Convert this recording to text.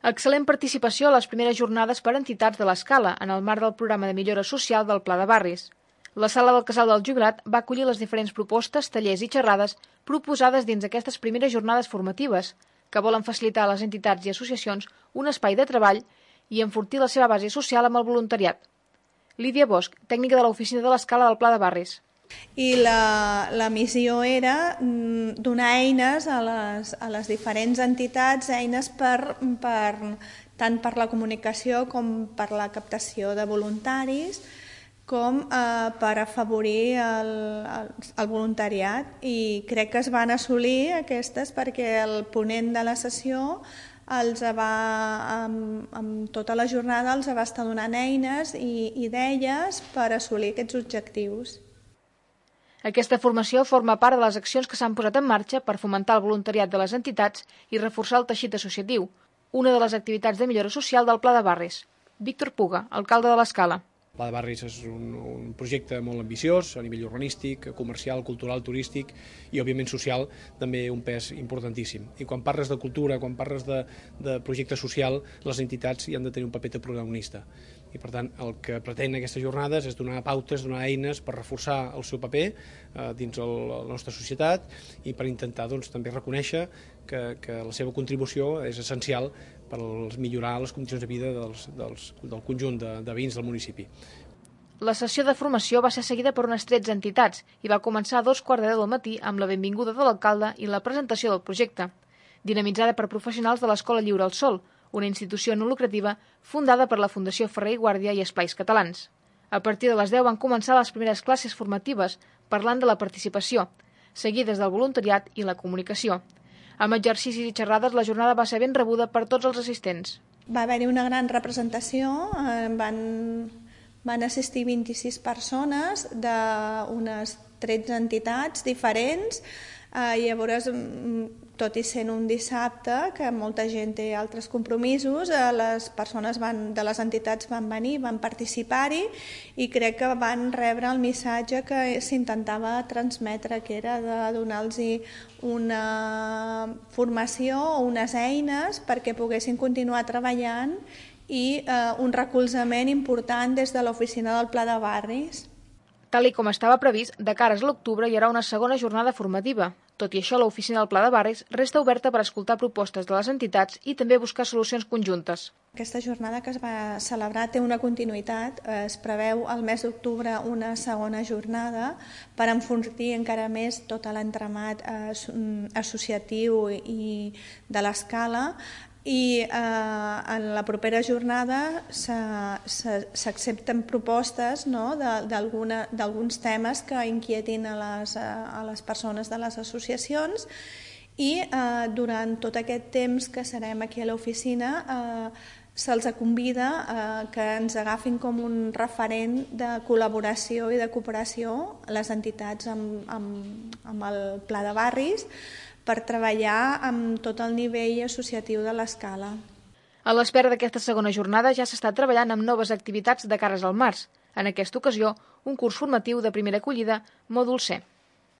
Excel·lent participació a les primeres jornades per entitats de l'Escala en el marc del programa de millora social del Pla de Barris. La sala del Casal del Jubilat va acollir les diferents propostes, tallers i xerrades proposades dins aquestes primeres jornades formatives, que volen facilitar a les entitats i associacions un espai de treball i enfortir la seva base social amb el voluntariat. Lídia Bosch, tècnica de l'oficina de l'Escala del Pla de Barris. I la missió era donar eines a les diferents entitats, eines tant per la comunicació com per la captació de voluntaris, com per afavorir el voluntariat, i crec que es van assolir aquestes perquè el ponent de la sessió amb tota la jornada els va estar donant eines i idees per assolir aquests objectius. Aquesta formació forma part de les accions que s'han posat en marxa per fomentar el voluntariat de les entitats i reforçar el teixit associatiu, una de les activitats de millora social del Pla de Barris. Víctor Puga, alcalde de l'Escala. El Pla de Barris és un projecte molt ambiciós a nivell urbanístic, comercial, cultural, turístic i, òbviament, social, també un pes importantíssim. I quan parles de cultura, quan parles de projecte social, les entitats hi han de tenir un paper de protagonista. I, per tant, el que pretén aquestes jornades és donar pautes, donar eines per reforçar el seu paper dins la nostra societat i per intentar també reconèixer que la seva contribució és essencial per millorar les condicions de vida del conjunt de veïns del municipi. La sessió de formació va ser seguida per unes 13 entitats i va començar a 2:15 del matí amb la benvinguda de l'alcalde i la presentació del projecte, dinamitzada per professionals de l'Escola Lliure al Sol, una institució no lucrativa fundada per la Fundació Ferrer i Guàrdia i Esplais Catalans. A partir de les 10 van començar les primeres classes formatives, parlant de la participació, seguides del voluntariat i la comunicació. Amb exercicis i xerrades, la jornada va ser ben rebuda per tots els assistents. Va haver-hi una gran representació, van assistir 26 persones d'unes 13 entitats diferents. Llavors, tot i sent un dissabte, que molta gent té altres compromisos, les persones de les entitats van venir, van participar-hi i crec que van rebre el missatge que s'intentava transmetre, que era de donar-los una formació o unes eines perquè poguessin continuar treballant i un recolzament important des de l'oficina del Pla de Barris. Tal com estava previst, de cara a l'octubre hi haurà una segona jornada formativa. Tot i això, l'oficina del Pla de Barris resta oberta per escoltar propostes de les entitats i també buscar solucions conjuntes. Aquesta jornada que es va celebrar té una continuïtat. Es preveu al mes d'octubre una segona jornada per enfortir encara més tot l'entramat associatiu i de l'Escala. I en la propera jornada s'accepten propostes d'alguns temes que inquietin a les persones de les associacions i durant tot aquest temps que serem aquí a l'oficina se'ls convida que ens agafin com un referent de col·laboració i de cooperació a les entitats amb el Pla de Barris per treballar amb tot el nivell associatiu de l'Escala. A l'espera d'aquesta segona jornada ja s'està treballant amb noves activitats de cares al març. En aquesta ocasió, un curs formatiu de primera acollida, mòdul C.